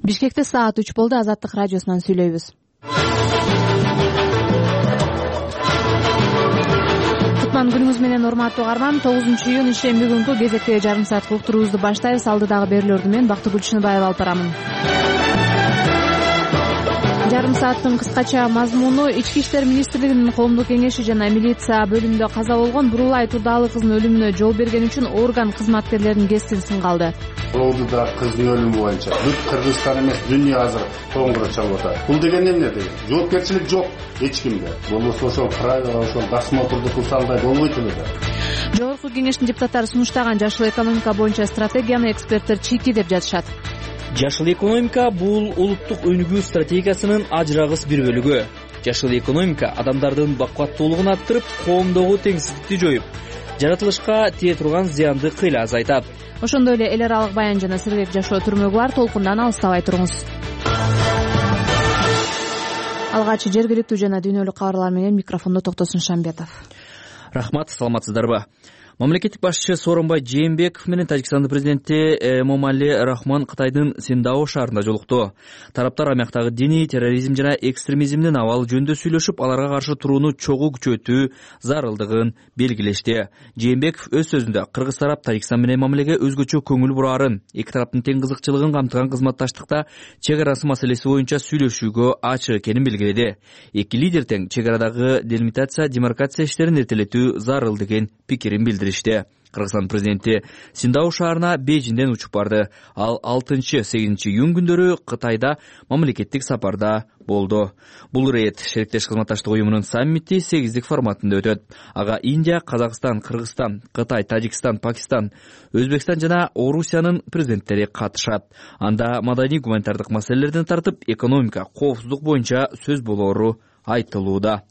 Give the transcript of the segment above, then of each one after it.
Бишкекте саат 3 болду. Азаттык радиосунан сүйлөйбүз. Кутман күнүңүз менен урматтуу угарман. 9-июнь ишемби күнкү кезектеги жарым сааттык уктуруубузду баштайбыз. Алдыдагы берүүлөрдү мен Бактыгүл Чыныбаева алып барамын. Жарым сааттын кыскача мазмуну: Ички иштер министрлигинин коомдук кеңеши жана милиция бөлүмүндө каза болгон Бурулай Турдаалы кызынын өлүмүнө жол берген үчүн орган кызматкерлеринин кесин сынгалды. Ордуда кыздын өлүмү боюнча бүт Кыргызстан эмес, дүйнө азыр тоңгура чалып атат. Бул деген эмне деген? Жоопкерчилик жок эч кимде. Болбосо ошол правила, ошол досмотрду кылсаңдай болбойт эле да. Жогорку кеңештин депутаттары сунуштаган жашыл экономика боюнча стратегияны эксперттер чийки деп жатышат. Жашыл экономика бул улуттук өнүгүү стратегиясынын ажырагыс бир бөлүгү. Жашыл экономика адамдардын бакуаттуулугун арттырып, коомдогу теңсиздикти жоюп, жаратылышка тие турган зыянды кыйла азайтат. Ошондой эле эл аралык баян жана сергек жашоо түрмөгү бар. Толкундан алыстабай туруңуз. Алгач жергиликтүү жана дүйнөлүк кабарлар менен микрофондо Токтосун Шамбетов. Рахмат, саламатсыздарбы? Мамлекеттик башчы Сооронбай Жээнбеков менен Тажикстандын президенти Эмомали Рахмон Кытайдын Синдао шаарында жолукту. Тараптар аймактагы диний терроризм жана экстремизмдин абалы жөнүндө сүйлөшүп, аларга каршы турууну чогуу күчөтүү зарылдыгын белгилешти. Жээнбеков өз сөзүндө кыргыз тарап Тажикстан менен мамилеге өзгөчө көңүл бурарын, эки тараптын тең кызыкчылыгын камтыган кызматташтыкта чек арасы маселеси боюнча сүйлөшүүгө ачык экенин белгиледи. Эки лидер тең чек арадагы делимитация, демаркация иштерин эртелетүү зарыл деген пикирин билдирди. Кыргызстан президенти Синдао шаарына Бейжиңден учуп барды. Ал 6-8 июнь күндөрү Кытайда мамлекеттик сапарда болду. Бул рейд шериктеш кызматташтык уюмунун саммити 8-дик форматында өтөт. Ага Индия, Казакстан, Кыргызстан, Кытай, Тажикстан, Пакистан, Өзбекстан жана Орусиянын президенттери катышат. Анда маданий гуманитардык маселелерден тартып, экономика, коопсуздук боюнча сөз болоору айтылууда.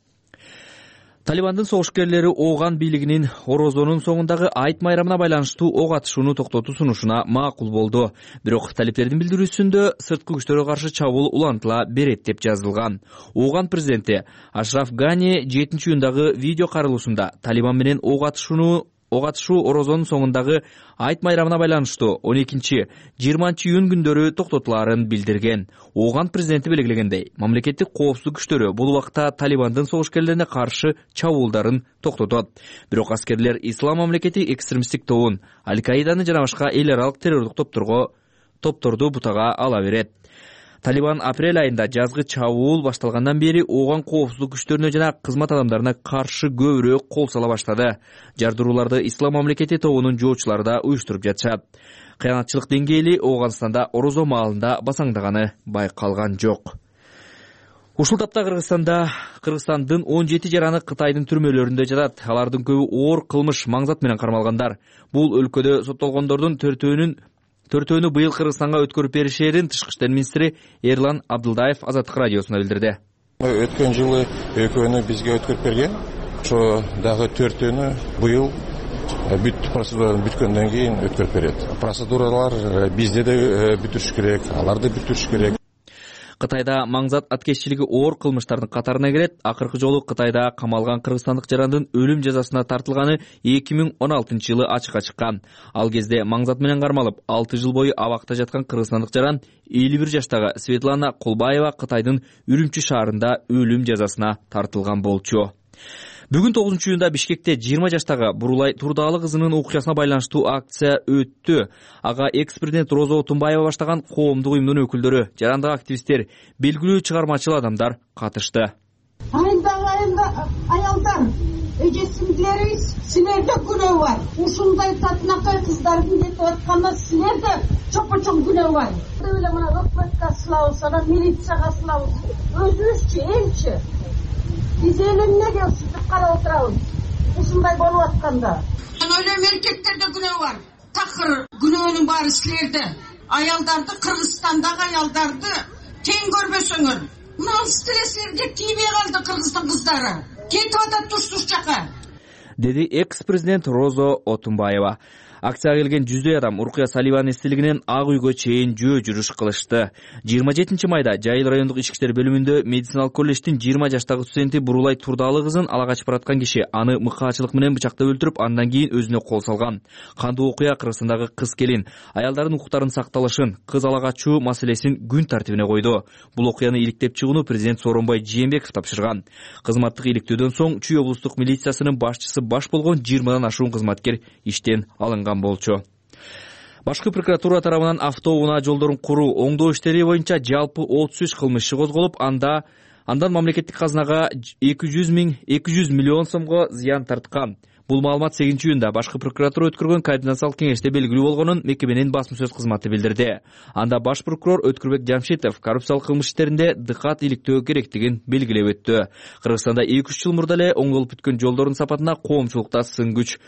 Талибандын согушкерлери Ооган бийлигинин Орозонун соңундагы айт майрамына байланыштуу ок атышууну токтотуу сунушуна макул болду. Бирок талиптердин билдирүүсүндө сырткы күчтөргө каршы чабуул улантыла берет деп жазылган. Ооган президенти Ашраф Гани 7-июндагы видео каралуусунда Талибан менен ок атышуу Орозонун соңундагы айт майрамына байланыштуу 12-20 июнь күндөрү токтотулаарын билдирген. Ооган президенти белгилегендей, мамлекеттик коопсуздук күчтөрү бул убакта Талибандын согушкерлерине каршы чабуулдарын токтотот. Бирок аскерлер Ислам мамлекети экстремисттик тобун, Аль-Каиданы жана башка эл аралык террордук топторду бутага ала берет. Талибан апрель айында жазгы чабуул башталгандан бери Ооган коопсуздук күчтөрүнө жана кызмат адамдарына каршы көбүрөөк кол сала баштады. Жардырууларды Ислам мамлекети тобунун жоочулары да уюштуруп жатышат. Кыянатчылык деңгээли Ооганстанда Орозо маалында басаңдаганы байкалган жок. Ушул тапта Кыргызстандын 17 жараны Кытайдын түрмөлөрүндө жатат. Алардын көбү оор кылмыш маңзат менен кармалгандар. Бул өлкөдө соттолгондордун төртөөнү быйыл Кыргызстанга өткөрүп беришерин Тышкы иштер министри Эрлан Абдылдаев Азаттык радиосуна билдирди. Өткөн жылы экөөнү бизге өткөрүп берген. Ошо дагы төртөөнү быйыл бүт процедуралар бүткөндөн кийин өткөрүп берет. Процедуралар бизде де бүтүрүш керек, аларды бүтүрүш керек. Кытайда маңзат аткезчилиги оор кылмыштардын катарына кирет. Акыркы жолу Кытайда камалган кыргызстандык жарандын өлүм жазасына тартылганы 2016 жылы ачыкка чыккан. Ал кезде маңзат менен кармалып 6 жыл бою абакта жаткан кыргызстандык жаран 51 жаштагы Светлана Кулбаева Кытайдын Үрүмчү шаарында өлүм жазасына тартылган болчу. Бүгүн 9-июнда Бишкекте 20 жаштагы Бурулай Турдаалы кызынын окуясына байланыштуу акция өттү. Ага экс-президент Розо Отунбаева баштаган коомдук уюмдун өкүлдөрү, жарандык активисттер, белгилүү чыгармачыл адамдар катышты. Аялдар, эжесиңдилериңиз, силерде күнөө бар. Ушундай татынакай кыздардын кетип атканына силерде чопо-чоң күнөө бар. Эле мына өкмөткө сылабыз, анан милицияга сылабыз. Өзүбүзчү, элчи. Биз эл эмнеге ушинтип карап отурабыз? Ушундай болуп атканда. Мен ойлойм, эркектерде күнөө бар. Такыр күнөөнүн баары силерде. Аялдарды, Кыргызстандагы аялдарды тең көрбөсөңөр. Мына силерге тийбей калды Кыргыздын кыздары. Кетип атат туш жака. Деди экс-президент Розо Отунбаева. Акцияга келген жүздөй адам Уркуя Саливанын эстелигинен Ак үйгө чейин жөө жүрүш кылышты. 27 майда Жайыл райондук ички иштер бөлүмүндө медициналык колледждин 20 жаштагы студенти Бурулай Турдаалы кызын ала качып бараткан киши аны мыкаачылык менен бычактап өлтүрүп, андан кийин өзүнө кол салган. Кандуу окуя Кыргызстандагы кыз келин, аялдардын укуктарынын сакталышын, кыз ала качуу маселесин күн тартибине койду. Бул окуяны иликтеп чыгууну президент Сооронбай Жээнбеков тапшырган. Кызматтык иликтөөдөн соң Чүй облустук милициясынын башчысы баш болгон 20дан ашуун кызматкер иштен алынган болчу. Башкы прокуратура тарабынан автоунаа жолдорун куруу, оңдоо иштери боюнча жалпы 33 кылмыш иши козголуп, андан мамлекеттик казынага 200 миллион сомго зыян тарткан. Бул маалымат 8-июнда башкы прокуратура өткөргөн координациялык кеңеште белгилүү болгонун мекеменин басма сөз кызматы билдирди. Анда баш прокурор Өткүрбек Жамшитов коррупциялык кылмыш иштеринде дыкат иликтөө керектигин белгилеп өттү. Кыргызстанда 2-3 жыл мурда эле оңдолуп бүткөн жолдордун сапатына коомчулукта сын күч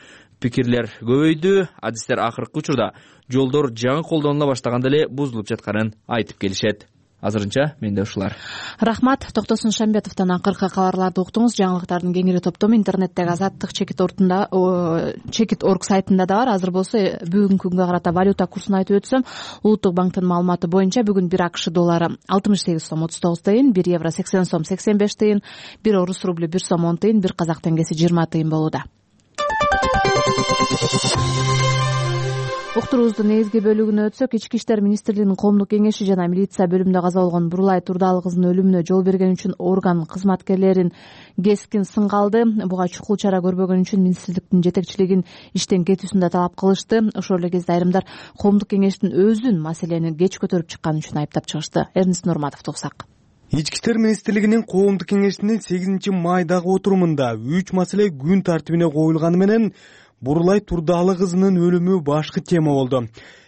пикирлер көбөйдү. Адистер акыркы учурда жолдор жаңы колдонула баштаганда эле бузулуп жатканын айтып келишет. Азырынча менде ушулар. Рахмат. Токтосун Шамбетовдон акыркы кабарларды уктуңуз. Жаңылыктардын кеңири топтому интернеттеги Азаттык Чекит.орг сайтында да бар. Азыр болсо бүгүнкү күнгө карата валюта курсун айтып өтсөм, Улуттук банктын маалыматы боюнча бүгүн 1 АКШ доллары 68 сом 39 тыйын, 1 евро 80 сом 85 тыйын, 1 орус рублю 1 сом 10 тыйын, 1 казак теңгеси 20 тыйын болууда. Уктуруубуздун негизги бөлүгүнө өтсөк, Ички иштер министрлигинин коомдук кеңеши жана милиция бөлүмүндө каза болгон Бурулай Турдаалы кызынын өлүмүнө жол берген үчүн орган кызматкерлерин кескин сынга алды. Буга чукул чара көрбөгөн үчүн министрликтин жетекчилигин иштен кетүүсүн да талап кылышты. Ошол эле кезде айрымдар коомдук кеңештин өзүн маселени кеч көтөрүп чыкканы үчүн айыптап чыгышты. Эрнис Нурматовду угсак. Ички иштер министрлигинин коомдук кеңешинин 8 майдагы отурумунда 3 маселе күн тартибине коюлганы менен Бурулай Турдаалы кызынын өлүмү башкы тема болду.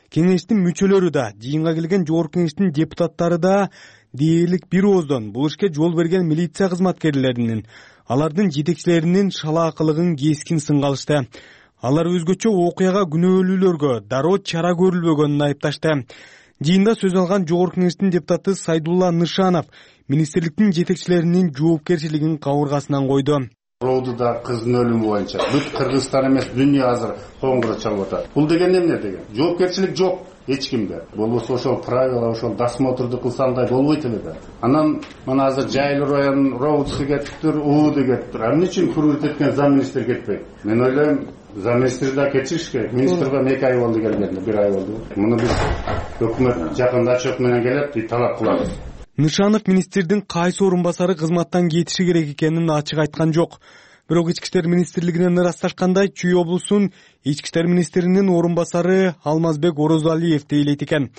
Кеңештин мүчөлөрү да, жыйынга келген жогорку кеңештин депутаттары да дээрлик бир ооздон бул ишке жол берген милиция кызматкерлеринин, алардын жетекчилеринин шалаакылыгын кескин сынга алышты. Алар өзгөчө окуяга күнөөлүүлөргө дароо чара көрүлбөгөнүн айыпташты. Жыйында сөз алган жогорку кеңештин депутаты Сайдулла Нышанов министрликтин жетекчилеринин жоопкерчилигин кабыргасынан койду. Роудуда кыздын өлүмү боюнча бүт Кыргызстан эмес, дүйнө азыр коңгуроо чалып атат. Бул деген эмне деген? Жоопкерчилик жок эч кимде. Болбосо ошол правила, ошол досмотрду кылсаңдай болбойт эле да. Анан мына азыр Жайыл районунун роудусу кетиптир, УУД кетиптир. Эмне үчүн курулуп кеткен зам министр кетпейт? Мен ойлойм, зам министр да кетишиш керек. Министрге 2 ай болду келгенде, 1 ай болду. Муну биз өкмөт жакында отчет менен келет, талап кылабыз. Нышанов министрдин кайсы орун басары кызматтан кетиши керек экенин ачык айткан жок. Бирок Ички иштер министрлигинен ырасташкандай, Чүй облусунун ички иштер министринин орун басары Алмазбек Орозалиев дейлейт экен.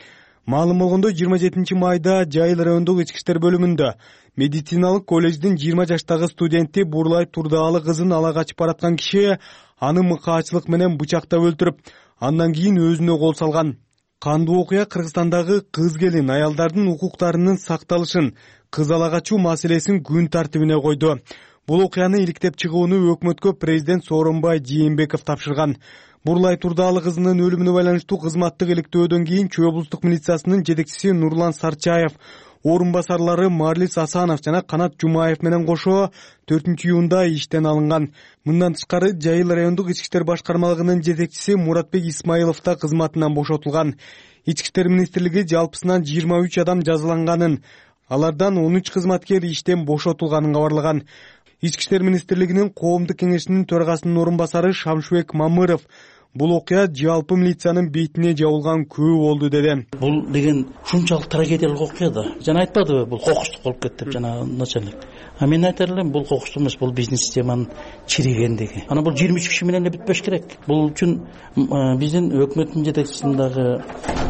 Маалым болгондой, 27 майда Жайыл райондук ички иштер бөлүмүндө медициналык колледждин 20 жаштагы студенти Бурулай Турдаалы кызын ала качып бараткан киши аны мыкаачылык менен бычактап өлтүрүп, андан кийин өзүнө кол салган. Кандуу окуя Кыргызстандагы кыз келин, аялдардын укуктарынын сакталышын, кыз ала качуу маселесин күн тартибине койду. Бул окуяны иликтеп чыгууну өкмөткө президент Сооронбай Жээнбеков тапшырган. Бурулай Турдаалы кызынын өлүмүнө байланыштуу кызматтык иликтөөдөн кийин Чүй облустук милициясынын жетекчиси Нурлан Сарчаев, орун басарлары Марлис Асанов жана Канат Жумаев менен кошо 4-июнда иштен алынган. Мындан тышкары Жайыл райондук ички иштер башкармалыгынын жетекчиси Муратбек Исмаилов да кызматынан бошотулган. Ички иштер министрлиги жалпысынан 23 адам жазаланганын, алардан 13 кызматкер иштен бошотулганын кабарлаган. Ички иштер министрлигинин коомдук кеңешинин төрагасынын орун басары Шамшыбек Мамыров бул окуя жалпы милициянын бетине жабылган күбө болду деди. Бул деген ушунчалык трагедиялык окуя да. Жана айтпадыбы, бул кокустук болуп кетти деп жана начальник. А мен айтар элем, бул кокустук эмес, бул биздин системанын чиригендиги. Ана бул 23 киши менен эле бүтпөш керек. Бул үчүн биздин өкмөттүн жетекчисинин дагы,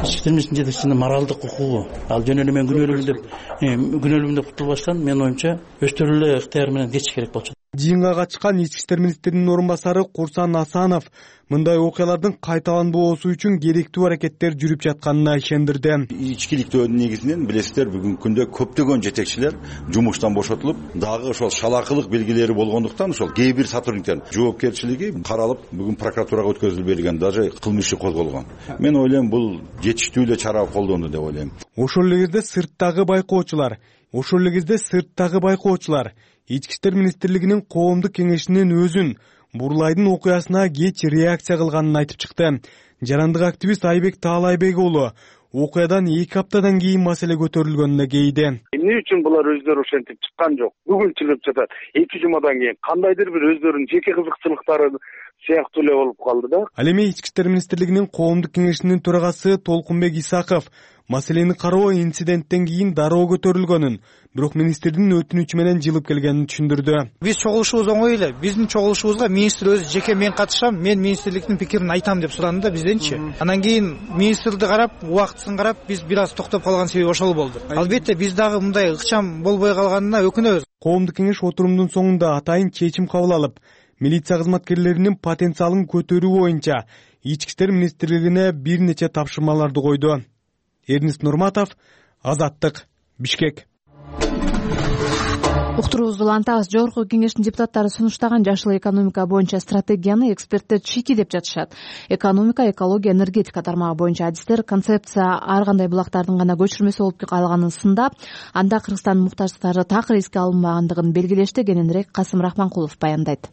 ички иштер министринин жетекчисинин моралдык укугу, ал жөн эле мен күнөөлүүмүн деп кутулбаштан, мен оюмча өздөрү эле ыктыяр менен кетиш керек болчу. Жыйынга катышкан ички иштер министринин орун басары Курсан Асанов мындай окуялардын кайталанбоосу үчүн керектүү аракеттер жүрүп жатканына ишендирди. Ичкиликтөөдүн негизинен билесиздер, бүгүнкү күндө көптөгөн жетекчилер жумуштан бошотулуп, дагы ошол шалаакылык белгилери болгондуктан ошол кээ бир сотрудниктердин жоопкерчилиги каралып, бүгүн прокуратурага өткөзүлүп берилген, даже кылмыш иши козголгон. Мен ойлойм, бул жетиштүү эле чара колдонду деп ойлойм. Ошол эле кезде сырттагы байкоочулар Ички иштер министрлигинин коомдук кеңешинин өзүн Бурлайдын окуясына кеч реакция кылганын айтып чыкты. Жарандык активист Айбек Таалайбек уулу окуядан 2 аптадан кийин маселе көтөрүлгөнүнө кейди. Эмне үчүн булар өздөрү ошентип чыккан жок? Бүгүн чыгып жатат. 2 жумадан кийин кандайдыр бир өздөрүнүн жеке кызыкчылыктары сыяктуу эле болуп калды да. Ал эми Ички иштер министрлигинин коомдук кеңешинин төрагасы Толкунбек Исаков маселени кароо инциденттен кийин дароо көтөрүлгөнүн, бирок министрдин өтүнүчү менен жылып келгенин түшүндүрдү. Биз чогулушубуз оңой эле. Биздин чогулушубузга министр өзү жеке мен катышам, мен министрликтин пикирин айтам деп суранды да бизденчи. Анан кийин министрди карап, убактысын карап, биз бир аз токтоп калган себеби ошол болду. Албетте биз дагы мындай ыкчам болбой калганына өкүнөбүз. Коомдук кеңеш отурумдун соңунда атайын чечим кабыл алып, милиция кызматкерлеринин потенциалын көтөрүү боюнча Ички иштер министрлигине бир нече тапшырмаларды койду. Эрнест Нурматов, Азаттык, Бишкек. Уктуруубузду улантабыз. Жогорку кеңештин депутаттары сунуштаган жашыл экономика боюнча стратегияны эксперттер чийки деп жатышат. Экономика, экология, энергетика тармагы боюнча адистер концепция ар кандай булактардын гана көчүрмөсү болуп калганын сындап, анда Кыргызстандын муктаждыктары такыр эске алынбагандыгын белгилешти. Кененирээк Касым Рахманкулов баяндайт.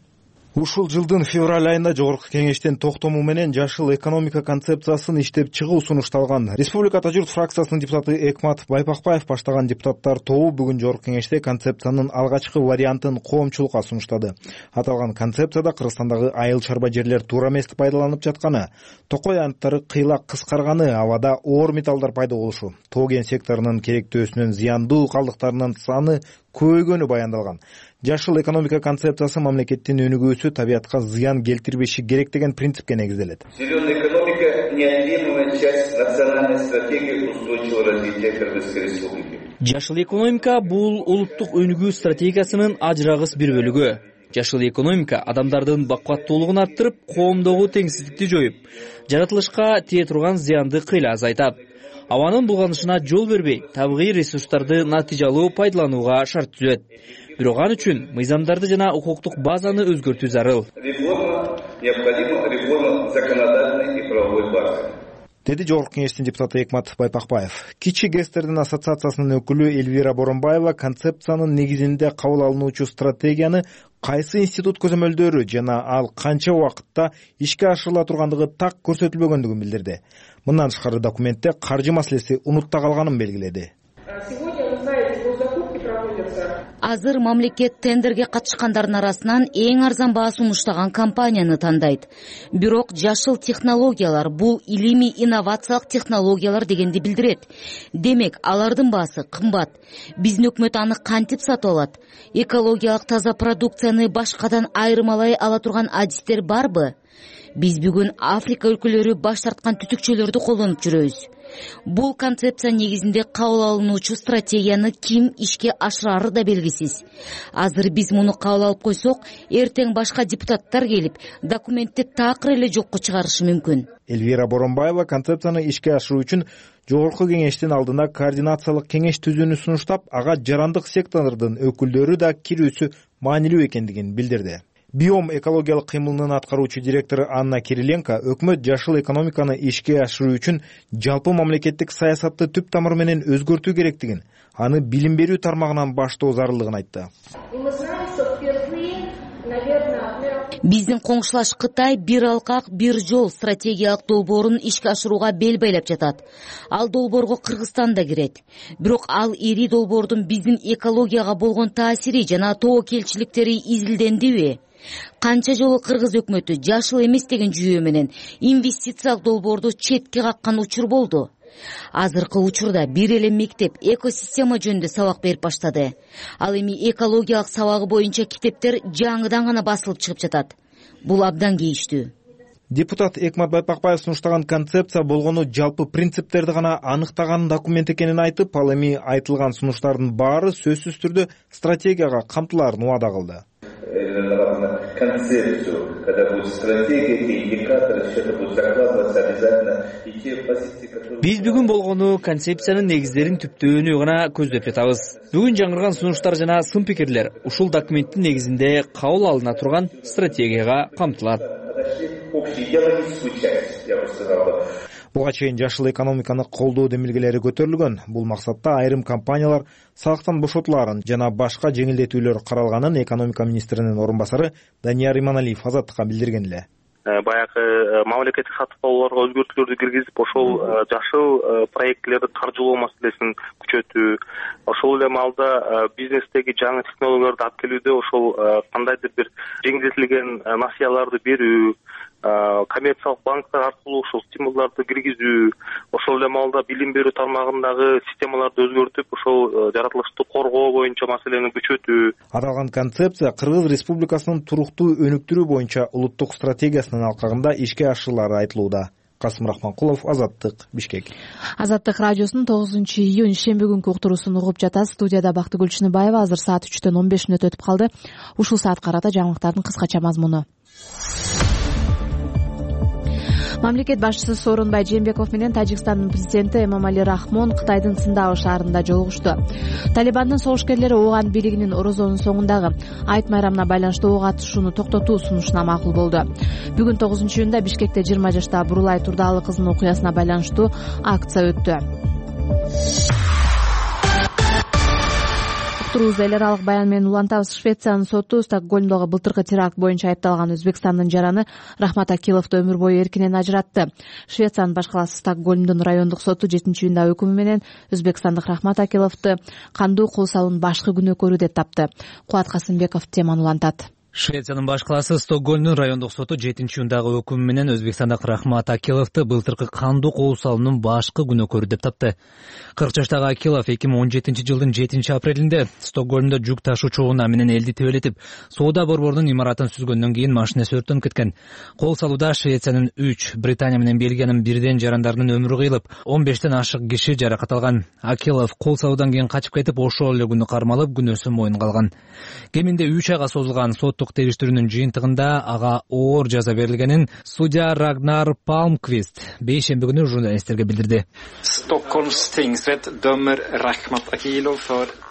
Ушул жылдын февраль айында жогорку кеңештин токтому менен жашыл экономика концепциясын иштеп чыгуу сунушталган. Республика Ата журт фракциясынын депутаты Экмат Байпакбаев баштаган депутаттар тобу бүгүн жогорку кеңеште концепциянын алгачкы вариантын коомчулукка сунуштады. Аталган концепцияда Кыргызстандагы айыл чарба жерлер туура эмес пайдаланып жатканы, токой анттары кыйлак кыскарганы, абада оор металлдар пайда болушу, тоо кен секторунун керектөөсүнүн зыяндуу калдыктарынын саны көбөйгөнү баяндалган. Жашыл экономика концепциясы мамлекеттин өнүгүүсү табиатка зыян келтирбеши керек деген принципке негизделет. Зеленая экономика — неотъемлемая часть национальной стратегии устойчивого развития Кыргызской республики. Жашыл экономика бул улуттук өнүгүү стратегиясынын ажырагыс бир бөлүгү. Жашыл экономика адамдардын бакуаттуулугун арттырып, коомдогу теңсиздикти жоюп, жаратылышка тие турган зыянды кыйла азайтат. Абанын булганышына жол бербей, табигый ресурстарды натыйжалуу пайдаланууга шарт түзөт. Бирок ал үчүн мыйзамдарды жана укуктук базаны өзгөртүү зарыл. Необходима реформа законодательной и правовой базы. Деди жогорку кеңештин депутаты Экмат Байпакбаев. Кичи ГЭСтердин ассоциациясынын өкүлү Эльвира Боронбаева концепциянын негизинде кабыл алынуучу стратегияны кайсы институт көзөмөлдөрү жана ал канча убакытта ишке ашырыла тургандыгы так көрсөтүлбөгөндүгүн билдирди. Мындан тышкары документте каржы маселеси унутта калганын белгиледи. Азыр мамлекет тендерге катышкандардын арасынан эң арзан баа сунуштаган компанияны тандайт. Бирок жашыл технологиялар бул илимий инновациялык технологиялар дегенди билдирет. Демек, алардын баасы кымбат. Биздин өкмөт аны кантип сатып алат? Экологиялык таза продукцияны башкадан айырмалай ала турган адистер барбы? Биз бүгүн Африка өлкөлөрү баш тарткан түтүкчөлөрдү колдонуп жүрөбүз. Бул концепция негизинде кабыл алынуучу стратегияны ким ишке ашырары да белгисиз. Азыр биз муну кабыл алып койсок, эртең башка депутаттар келип, документти такыр эле жокко чыгарышы мүмкүн. Эльвира Боронбаева концепцияны ишке ашыруу үчүн жогорку кеңештин алдына координациялык кеңеш түзүүнү сунуштап, ага жарандык сектордун өкүлдөрү да кирүүсү маанилүү экендигин билдирди. Биом экологиялык кыймылынын аткаруучу директору Анна Кириленко өкмөт жашыл экономиканы ишке ашыруу үчүн жалпы мамлекеттик саясатты түп тамыры менен өзгөртүү керектигин, аны билим берүү тармагынан баштоо зарылдыгын айтты. Биздин коңшулаш Кытай бир алкак, бир жол стратегиялык долбоорун ишке ашырууга бел байлап жатат. Ал долбоорго Кыргызстан да кирет. Бирок ал ири долбоордун биздин экологияга болгон таасири жана тобокелчиликтери изилдендиби? Канча жолу Кыргыз өкмөтү жашыл эмес деген жүйө менен инвестициялык долбоорду четке каккан учур болду. Азыркы учурда бир эле мектеп экосистема жөнүндө сабак берип баштады. Ал эми экологиялык сабагы боюнча китептер жаңыдан гана басылып чыгып жатат. Бул абдан кейиштүү. Депутат Экмат Байпакбаев сунуштаган концепция болгону жалпы принциптерди гана аныктаган документ экенин айтып, ал эми айтылган сунуштардын баары сөзсүз түрдө стратегияга камтылаарын убада кылды. Концепцию, когда будет стратегия, те индикаторы, все это будет закладываться обязательно, и те позиции, которые... Биз бүгүн болгону концепциянын негиздерин түптөөнү гана көздөп жатабыз. Бүгүн жаңырган сунуштар жана сын пикирлер ушул документтин негизинде кабыл алына турган стратегияга камтылат. Буга чейин жашыл экономиканы колдоо демилгелери көтөрүлгөн. Бул максатта айрым компаниялар салыктан бошотуларын жана башка жеңилдетүүлөр каралганын экономика министринин орун басары Данияр Иманалиев Азаттыкка билдирген эле. Баягы мамлекеттик сатып алууларга өзгөртүүлөрдү киргизип, ошол жашыл проектлерди каржылоо маселесин күчөтүү, ошол эле маалда бизнестеги жаңы технологияларды алып келүүдө ошол кандайдыр бир жеңилдетилген насыяларды берүү, коммерциялык банктар аркылуу ошол стимулдарды киргизүү, ошол эле маалда билим берүү тармагындагы системаларды өзгөртүп, ошол жаратылышты коргоо боюнча маселени күчөтүү. Аталган концепция Кыргыз Республикасынын туруктуу өнүктүрүү боюнча улуттук стратегиясынын алкагында ишке ашырылары айтылууда. Касым Рахманкулов, Азаттык, Бишкек. Азаттык радиосунун 9-июнь шемби күнкү уктуруусун угуп жатасыз. Студияда Бактыгүл Чыныбаева. Азыр саат 3-төн 15 мүнөт өтүп калды. Ушул саатка карата жаңылыктардын кыскача мазмуну. Мамлекет башчысы Сооронбай Жээнбеков менен Тажикстандын президенти Эмомали Рахмон Кытайдын Циндао шаарында жолугушту. Талибандын согушкерлери Ооган бийлигинин Орозонун соңундагы айт майрамына байланыштуу ок атышууну токтотуу сунушуна макул болду. Бүгүн 9-июнда Бишкекте 20 жаштагы Бурулай Турдаалы кызынын окуясына байланыштуу акция өттү. Эл аралык баян менен улантабыз. Швециянын соту Стокгольмдогу былтыркы теракт боюнча айыпталган Өзбекстандын жараны Рахмат Акиловду өмүр бою эркинен ажыратты. Швециянын баш каласы Стокгольмдун райондук соту 7-июнда өкүмү менен өзбекстандык Рахмат Акиловду кандуу кол салуунун башкы күнөөкөрү деп тапты. Кубат Касымбеков теманы улантат. Швециянын баш каласы Стокгольмдун райондук соту 7-июндагы өкүмү менен өзбекстандык Рахмат Акиловду былтыркы кандуу кол салуунун башкы күнөөкөрү деп тапты. 40 жаштагы Акилов 2017-жылдын 7-апрелинде Стокгольмдо жүк ташуу чогуна менен элди тебелетип, соода борборунун имаратын сүзгөндөн кийин машинеси өрттөнүп кеткен. Кол салууда Швециянын 3, Британия менен Бельгиянын бирден жарандарынын өмүрү кыйылып, 15тен ашык киши жаракат алган. Акилов кол салуудан кийин качып кетип, ошол эле күнү кармалып, күнөөсүн моюнга алган. Кеминде 3 айга созулган соттук териштирүүнүн жыйынтыгында ага оор жаза берилгенин судья Рагнар Палмквист бейшемби күнү журналисттерге билдирди.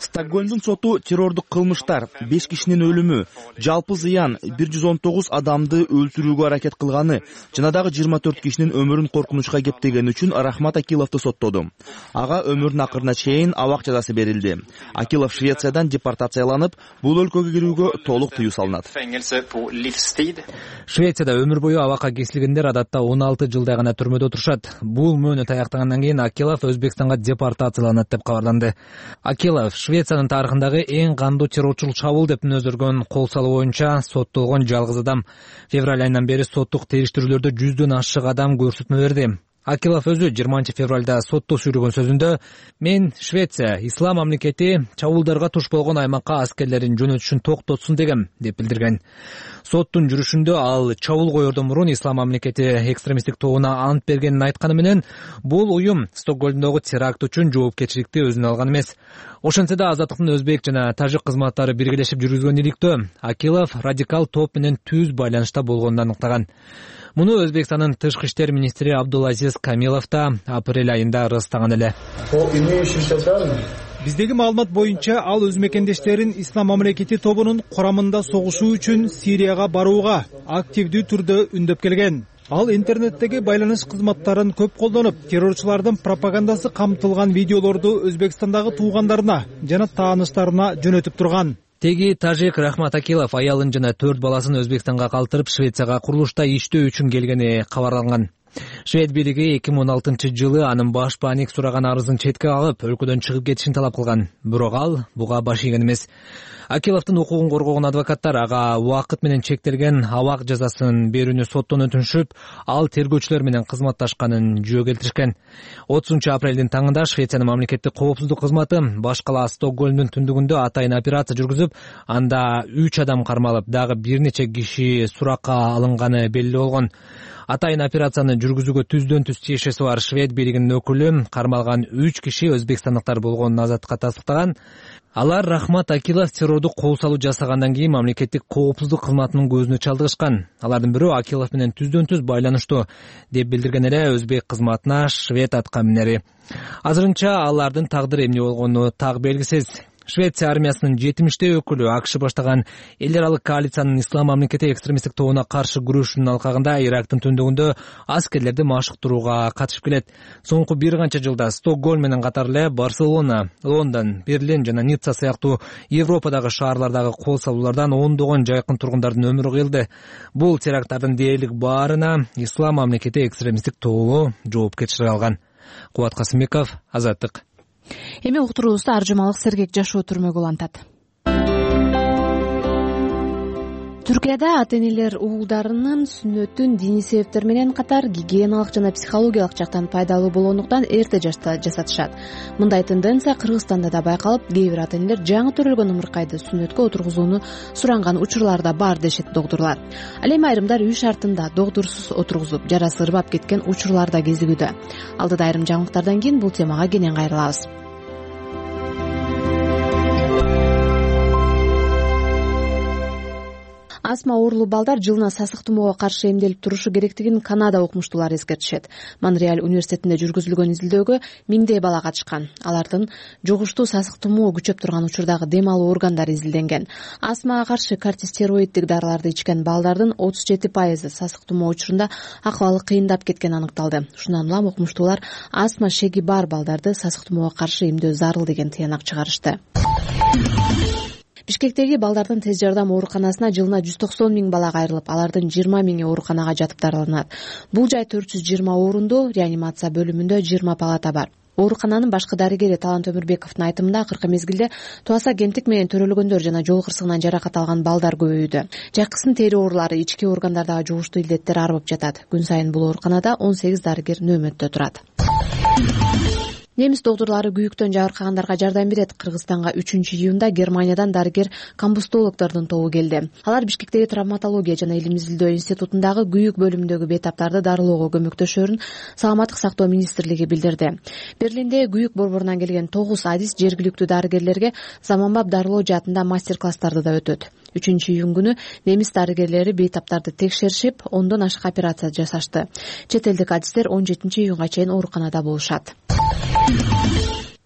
Стокгольмдун соту террордук кылмыштар, 5 кишинин өлүмү, жалпы зыян 119 адамды өлтүрүүгө аракет кылганы жана дагы 24 кишинин өмүрүн коркунучка кептегени үчүн Рахмат Акиловду соттоду. Ага өмүрүнүн акырына чейин абак жазасы берилди. Акилов Швециядан депортацияланып, бул өлкөгө кирүүгө толук тыюу салынат. Швецияда өмүр бою абакка кесилгендер адатта 16 жылдай гана түрмөдө отурушат. Бул мөөнөт аяктагандан кийин Акилов Өзбекстанга депортацияланат деп кабарланды. Акилов Швециянын тарыхындагы эң кандуу террорчулук чабуул деп мүнөздөргөн кол салуу боюнча соттолгон жалгыз адам. Февраль айынан бери соттук териштирүүлөрдө 100дөн ашык адам көрсөтмө берди. Акилов өзү 20-февралда сотто сүйлөгөн сөзүндө «Мен Швеция, ислам мамлекети чабуулдарга туш болгон аймакка аскерлерин жөнөтүшүн токтотсун дегем» деп билдирген. Соттун жүрүшүндө ал чабуул коердон мурун ислам мамлекети экстремисттик тобуна ант бергенин айтканы менен, бул уюм Стокгольмдогу теракт үчүн жоопкерчиликти өзүнө алган эмес. Ошентсе да Азаттыктын өзбек жана тажик кызматтары биргелешип жүргүзгөн иликтөө Акилов радикал топ менен түз байланышта болгонун аныктаган. Муну Өзбекстандын тышкы иштер министри Абдулазиз Камилов да апрель айында ырастаган эле. Биздеги маалымат боюнча ал өз мекендештерин ислам мамлекети тобунун курамында согушуу үчүн Сирияга барууга активдүү түрдө үндөп келген. Ал интернеттеги байланыш кызматтарын көп колдонуп, террорчулардын пропагандасы камтылган видеолорду Өзбекстандагы туугандарына жана тааныштарына жөнөтүп турган. Теги тажик Рахмат Акилов аялын жана 4 баласын Өзбекстанга калтырып, Швецияга курулушта иштөө үчүн келгени кабарланган. Швед бийлиги 2016-жылы анын баш паник сураган арызын четке алып, өлкөдөн чыгып кетишин талап кылган. Бирок ал буга баш ийген эмес. Акиловдун укугун коргогон адвокаттар ага убакыт менен чектелген абак жазасын берүүнү соттон өтүнүшүп, ал тергөөчүлөр менен кызматташканын жөө келтиришкен. 30-апрелдин таңында Швециянын мамлекеттик коопсуздук кызматы баш кала Стокгольмдун түндүгүндө атайын операция жүргүзүп, анда 3 адам кармалып, дагы бир нече киши суракка алынганы белгилүү болгон. Атайын операцияны жүргүзүүгө түздөн түз тиешеси бар Швед бийлигинин өкүлү кармалган 3 киши өзбекстандыктар болгонун Азаттыкка тастыктаган. Алар Рахмат Акилов террордук кол салуу жасагандан кийин мамлекеттик коопсуздук кызматынын көзүнө чалдыгышкан. Алардын бирөө Акилов менен түздөн түз байланыштуу деп билдирген эле өзбек кызматына Швед аткаминери. Азырынча алардын тагдыры эмне болгону так белгисиз. Швеция армиясынын 70 өкүлү АКШ баштаган эл аралык коалициянын ислам мамлекети экстремисттик тобуна каршы күрөшүүнүн алкагында Ирактын түндүгүндө аскерлерди машыктырууга катышып келет. Соңку бир канча жылда Стокгольм менен катар эле Барселона, Лондон, Берлин жана Ницца сыяктуу Европадагы шаарлардагы кол салуулардан ондогон жайкын тургундардын өмүрү кыйылды. Бул теракттардын дээрлик баарына ислам мамлекети экстремисттик тобу жоопкерчилик алган. Кубат Касымбеков, Азаттык. Эми уктуруубузда аржымалык сергек жашоо түрмөгү улантат. Түркияда ата-энелер уулдарынын сүннөтүн диний себептер менен катар гигиеналык жана психологиялык жактан пайдалуу болгондуктан эрте жашта жасатышат. Мындай тенденция Кыргызстанда да байкалып, кээ бир ата-энелер жаңы төрөлгөн ымыркайды сүннөткө отургузууну суранган учурлар да бар дешет доктурлар. Ал эми айрымдар үй шартында доктурсуз отургузуп, жарасы ырбап кеткен учурлар да кезигүүдө. Алдыда айрым жаңылыктардан кийин бул темага кенен кайрылабыз. Астма оорулуу балдар жылына сасык тумоого каршы эмделип турушу керектигин Канада окумуштуулары эскертишет. Монреаль университетинде жүргүзүлгөн изилдөөгө миңдей бала катышкан. Алардын жугуштуу сасык тумоо күчөп турган учурдагы дем алуу органдары изилденген. Астмага каршы кортикостероиддик дарыларды ичкен балдардын 37% сасык тумоо учурунда акыбалы кыйындап кеткени аныкталды. Ушундан улам окумуштуулар астма шеги бар балдарды сасык тумоого каршы эмдөө зарыл деген тыянак чыгарышты. Бишкектеги балдардын тез жардам ооруканасына жылына 190 000 бала кайрылып, алардын 20 000 ооруканага жатып дарыланат. Бул жай 420 орундуу, реанимация бөлүмүндө 20 палата бар. Оорукананын башкы дарыгери Талант Өмүрбековдун айтымында акыркы мезгилде туаса кемтик менен төрөлгөндөр жана жол кырсыгынан жаракат алган балдар көбөйүүдө. Жакысын тери оорулары, ички органдардагы жугуштуу илдеттер арбып жатат. Күн сайын бул ооруканада 18 дарыгер нөөмөттө турат. Немис доктурлары күйүктөн жабыркагандарга жардам берет. Кыргызстанга 3-июнда Германиядан дарыгер комбустологдордун тобу келди. Алар Бишкектеги травматология жана илим изилдөө институтундагы күйүк бөлүмүндөгү бейтаптарды дарылоого көмөктөшөрүн Саламаттык сактоо министрлиги билдирди. Берлинде күйүк борборунан келген 9 адис жергиликтүү дарыгерлерге заманбап дарылоо жаатында мастер-класстарды да өтөт. 3-июн күнү немис дарыгерлери бейтаптарды текшеришип, 10дон ашык операция жасашты. Чет элдик адистер 17-июнга чейин ооруканада болушат.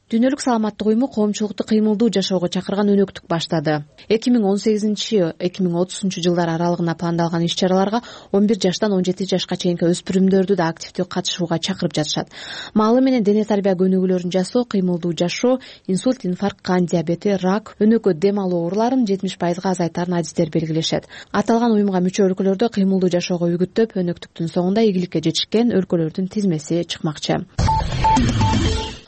Дүйнөлүк саламаттык уюму коомчулукту кыймылдуу жашоого чакырган өнөктүк баштады. 2018-2030 жылдар аралыгына пландалган иш-чараларга 11 жаштан 17 жашка чейинки өспүрүмдөрдү да активдүү катышууга чакырып жатышат. Маалы менен дене тарбия көнүгүүлөрүн жасоо, кыймылдуу жашоо, инсульт, инфаркт, кан диабети, рак, өнөкө дем алуу ооруларын 70% азайтарын адистер белгилешет. Аталган уюмга мүчө өлкөлөрдө кыймылдуу жашоого үгүттөп, өнөктүктүн соңунда ийгиликке жетишкен өлкөлөрдүн тизмеси чыкмакчы.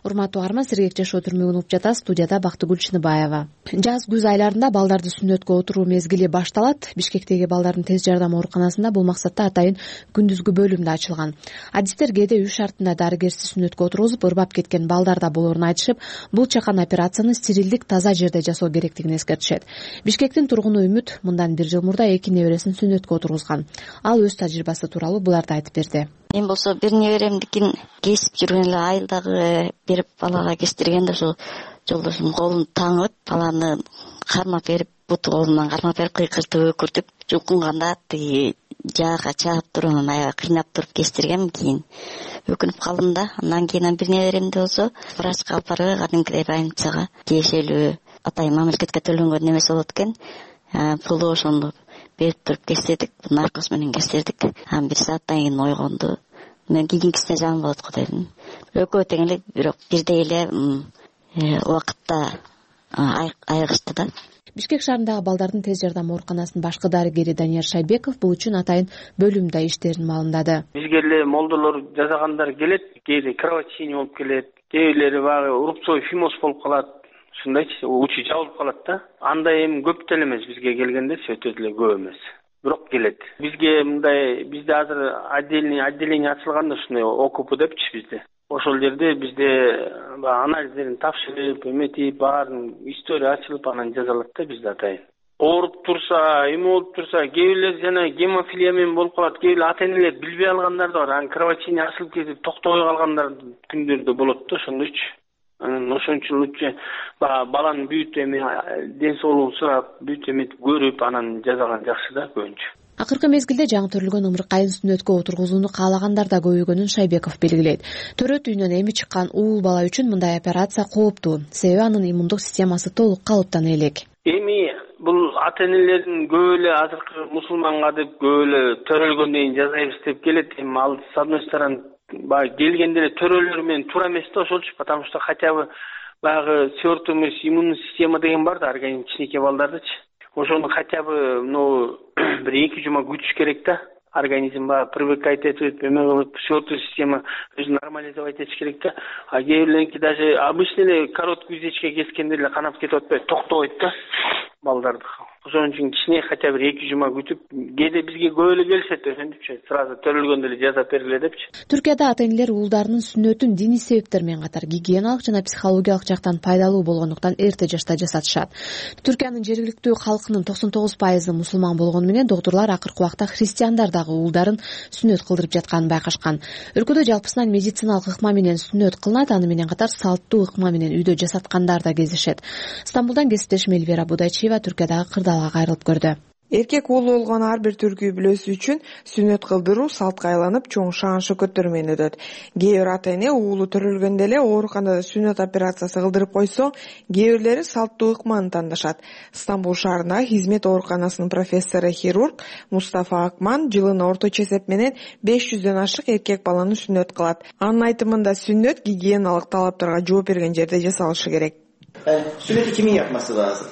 Урматтуу угарман, сергек жашоо түрмөгүн угуп жатасыз. Студияда Бактыгүл Чыныбаева. Жаз-күз айларында балдарды сүннөткө отуруу мезгили башталат. Бишкектеги балдардын тез жардам ооруканасында бул максатта атайын күндүзгү бөлүм да ачылган. Адистер кээде үй шартында дарыгерсиз сүннөткө отургузуп, ырбап кеткен балдар да болоорун айтышып, бул чакан операцияны стерилдик, таза жерде жасоо керектигин эскертишет. Бишкектин тургуну Үмүт мындан 1 жыл мурда 2 небересин сүннөткө отургузган. Ал өз тажрыйбасы тууралуу буларды айтып берди. Мен болсо бир неберемдикин кесип жүргөн эле айылдагы берип балага кестиргенде ошо жолдошум колун таңып, баланы кармап берип, буту колунан кармап берип, кыйкыртып өкүртүп, жулкунганда тиги жаага чаап туруп, анан аябай кыйнап туруп кестиргем. Кийин өкүнүп калдым да. Андан кийин бир неберемди болсо врачка алып барып, кадимкидей больницага тиешелүү атайын мамлекетке төлөнгөн немеси болот экен. Пулу ошону берип туруп кестирдик, наркоз менен кестирдик. Бир сааттан кийин ойгонду. Мен кийинкисине жаман болот го дедим. Экөө тең эле, бирок бирдей эле убакытта айыгышты да. Бишкек шаарындагы балдардын тез жардам ооруканасынын башкы дарыгери Данияр Шайбеков бул үчүн атайын бөлүмдө иштерин маалымдады. Бизге эле молдолор жасагандар келет, кээде кровотечение болуп келет, кээ бирлери баягы рубцовый фимоз болуп калат. Ушундайчы, учу жабылып калат да. Андай эми көп деле эмес, бизге келгенде өтө деле көп эмес. Бирок келет. Бизге мындай, бизде азыр отделение ачылган да, ушундай ОКП депчи бизде. Ошол жерде бизде анализдерин тапшырып, эметип, баарын история ачылып, анан жазалат да бизде атайын. Ооруп турса, эме болуп турса, кээ бирлер жана гемофилия менен болуп калат, кээ бирлер ата-энелер билбей алгандар да бар. Анан кровотечение ачылып кетип, токтобой калгандар күндөрдө болот да, ошондойчу. Анан ошончо баланын бүт эми ден соолугун сурап, бүт эметип көрүп, анан жазалган жакшы да көбүнчө. Акыркы мезгилде жаңы төрөлгөн ымыркайын сүннөткө отургузууну каалагандар да көбөйгөнүн Шайбеков белгилейт. Төрөт үйүнөн эми чыккан уул бала үчүн мындай операция кооптуу, себеби анын иммундук системасы толук калыптана элек. Эми бул ата-энелердин көп эле азыркы мусулманга деп көп эле төрөлгөндөн кийин жасайбыз деп келет. Эми ал с одной стороны баягы келгенде эле төрөлөр менен туура эмес да ошолчу, потому что хотя бы баягы свертуемость иммунный система деген бар да организм кичинекей балдардычы. Ошону хотя бы бир 2 жума күтүш керек да. Организм баягы привыкать этип, свертуемая система өзүн нормализовать этиш керек да. А кээ бирлеринки даже обычный эле короткий узечке кескенде эле канап кетип атпайбы, токтобойт да балдарды. Ошон үчүн кичине хотя бы 2 жума күтүп, кээде бизге көп эле келишет, ошентипчи, сразу төрөлгөндө эле жасап бергиле депчи. Түркияда ата-энелер уулдарынын сүннөтүн диний себептер менен катар гигиеналык жана психологиялык жактан пайдалуу болгондуктан эрте жашта жасатышат. Түркиянын жергиликтүү калкынын 99% мусулман болгону менен доктурлар акыркы убакта христиандар дагы уулдарын сүннөт кылдырып жатканын байкашкан. Өлкөдө жалпысынан медициналык ыкма менен сүннөт кылынат, аны менен катар салттуу ыкма менен үйдө жасаткандар да кездешет. Стамбулдан кесиптешим Эльвира Будайчиева Түркиядагы кырдаалга кайрылып көрдү. Эркек уулу болгон ар бир түркү бүлөсү үчүн сүннөт кылдыруу салтка айланып чоң шаан шөкөттөр менен өтөт. Кээ бир ата-эне уулу төрөлгөндө эле ооруканада сүннөт операциясы кылдырып койсо, кээ бирлери салттуу ыкманы тандашат. Стамбул шаарындагы Хизмет ооруканасынын профессору хирург Мустафа Акман жылына орточо эсеп менен 500дөн ашык эркек баланы сүннөт кылат. Анын айтымында сүннөт гигиеналык талаптарга жооп берген жерде жасалышы керек. Сүннөтү кимдин yapması lazım?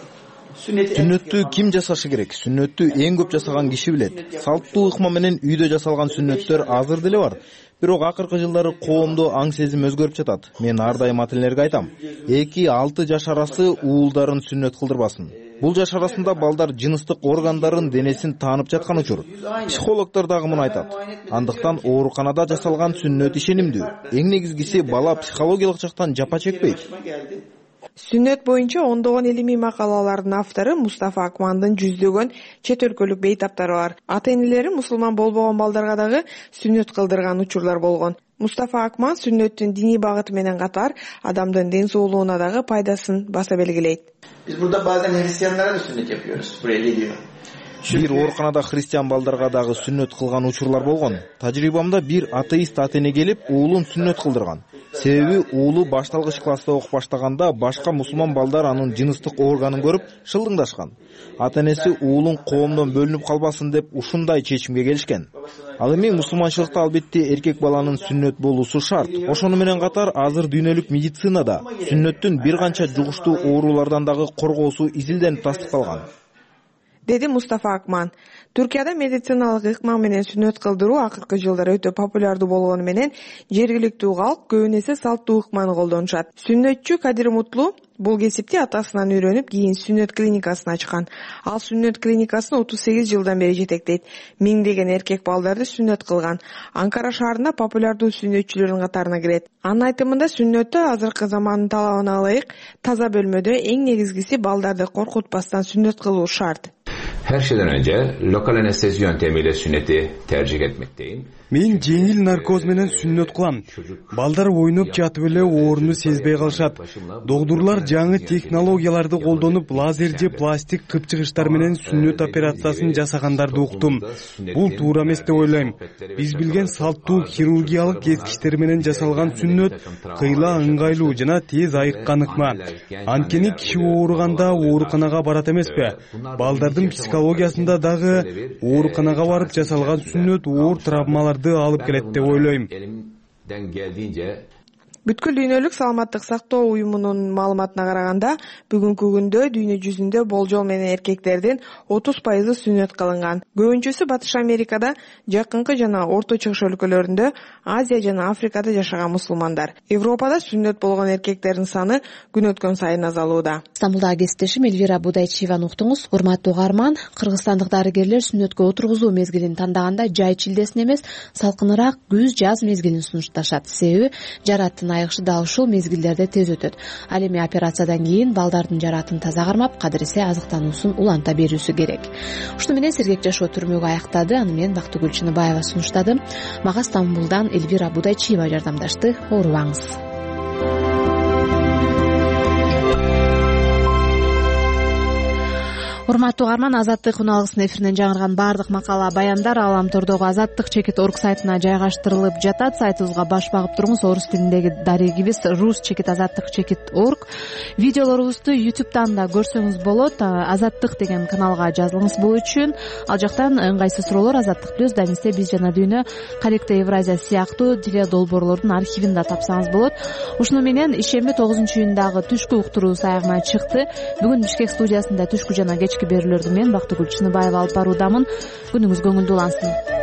Сүннөттү ким жасашы керек? Сүннөттү эң көп жасаган киши билет. Салттуу ыкма менен үйдө жасалган сүннөттөр азыр деле бар. Бирок акыркы жылдары коомдо аң сезим өзгөрүп жатат. Мен ар дайым ата-энелерге айтам, 2-6 жаш арасы уулдарын сүннөт кылдырбасын. Бул жаш арасында балдар жыныстык органдарын, денесин таанып жаткан учур. Психологдор дагы муну айтат. Андыктан ооруканада жасалган сүннөт ишенимдүү. Эң негизгиси бала психологиялык жактан жапа чекпейт. Сүннөт боюнча ондогон илимий макалалардын автору Мустафа Акмандын жүздөгөн чет өлкөлүк бейтаптары бар. Ата-энелери мусулман болбогон балдарга дагы сүннөт кылдырган учурлар болгон. Мустафа Акман сүннөттүн диний багыты менен катар адамдын ден соолугуна дагы пайдасын баса белгилейт. Biz burada bazen Hristiyanlara da sünnet yapıyoruz. Buraya geliyor. Бир ооруканада христиан балдарга дагы сүннөт кылган учурлар болгон. Тажрыйбамда бир атеист ата-эне келип, уулун сүннөт кылдырган. Себеби уулу башталгыч класста окуп баштаганда башка мусулман балдар анын жыныстык органын көрүп шылдыңдашкан. Ата-энеси уулун коомдон бөлүнүп калбасын деп ушундай чечимге келишкен. Ал эми мусулманчылыкта албетте эркек баланын сүннөт болуусу шарт. Ошону менен катар азыр дүйнөлүк медицинада сүннөттүн бир канча жугуштуу оорулардан дагы коргоосу изилденип тастыкталган, деди Мустафа Акман. Түркияда медициналык ыкма менен сүннөт кылдыруу акыркы жылдары өтө популярдуу болгону менен жергиликтүү калк көбүнесе салттуу ыкманы колдонушат. Сүннөтчү Кадир Мутлу бул кесипти атасынан үйрөнүп, кийин сүннөт клиникасын ачкан. Ал сүннөт клиникасын 38 жылдан бери жетектейт. Миңдеген эркек балдарды сүннөт кылган. Анкара шаарында популярдуу сүннөтчүлөрдүн катарына кирет. Анын айтымында сүннөттө азыркы замандын талабына ылайык таза бөлмөдө эң негизгиси балдарды коркутпастан сүннөт кылуу шарт. Her şeyden önce lokal anestezi yöntemiyle sünneti tercih etmekteyim. Мен жеңил наркоз менен сүннөт кылам. Балдар ойноп жатып эле ооруну сезбей калышат. Доктурлар жаңы технологияларды колдонуп, лазер же пластик кыпчыгычтар менен сүннөт операциясын жасагандарды уктум. Бул туура эмес деп ойлойм. Биз билген салттуу хирургиялык кескичтер менен жасалган сүннөт кыйла ыңгайлуу жана тез айыккан ыкма. Анткени киши ооруганда ооруканага барат эмеспи? Балдардын психологиясында дагы ооруканага барып жасалган сүннөт оор травмалар алып келет деп ойлойм. Бүткүл дүйнөлүк саламаттык сактоо уюмунун маалыматына караганда, бүгүнкү күндө дүйнө жүзүндө болжол менен эркектердин 30% сүннөт кылынган. Көбүнчөсү Батыш Америкада, жакынкы жана Орто Чыгыш өлкөлөрүндө, Азия жана Африкада жашаган мусулмандар. Европада сүннөт болгон эркектердин саны күн өткөн сайын азалууда. Стамбулдагы кесиптешим Эльвира Будайчиеваны уктуңуз. Урматтуу угарман, кыргызстандык дарыгерлер сүннөткө отургузуу мезгилин тандаганда жай чилдесин эмес, салкыныраак күз-жаз мезгилин сунушташат. Себеби жараттын айыгышы дал ушул мезгилдерде тез өтөт. Ал эми операциядан кийин балдардын жаратын таза кармап, кадыресе азыктануусун уланта берүүсү керек. Ушуну менен сергек жашоо түрмөгү аяктады. Аны мен Бактыгүл Чыныбаева сунуштадым. Мага Стамбулдан Эльвира Будайчиева жардамдашты. Оорубаңыз. урматтуу угарман, Азаттык күн алгысынын эфиринен жаңырган баардык макала баяндар Ааламтордогу Азаттык чекит орг сайтына жайгаштырылып жатат. Сайтыбызга баш багып туруңуз. Орус тилиндеги дарегибиз rus чекит азаттык чекит org. Видеолорубузду YouTube'дан да көрсөңүз болот. Азаттык деген каналга жазылыңыз бул үчүн. Ал жактан ыңгайсыз суроолор Азаттык плюс, Дамисте биз жана дүйнө, Каректе Евразия сыяктуу теле долбоорлордун архивин да тапсаңыз болот. Ушуну менен ишемби 9-июндагы түшкү уктуруу аягына чыкты. Бүгүн Бишкек студиясында түшкү жана кечки берүүлөрдү мен Бактыгүл Чыныбаева алып баруудамын. Күнүңүз көңүлдүү улансын.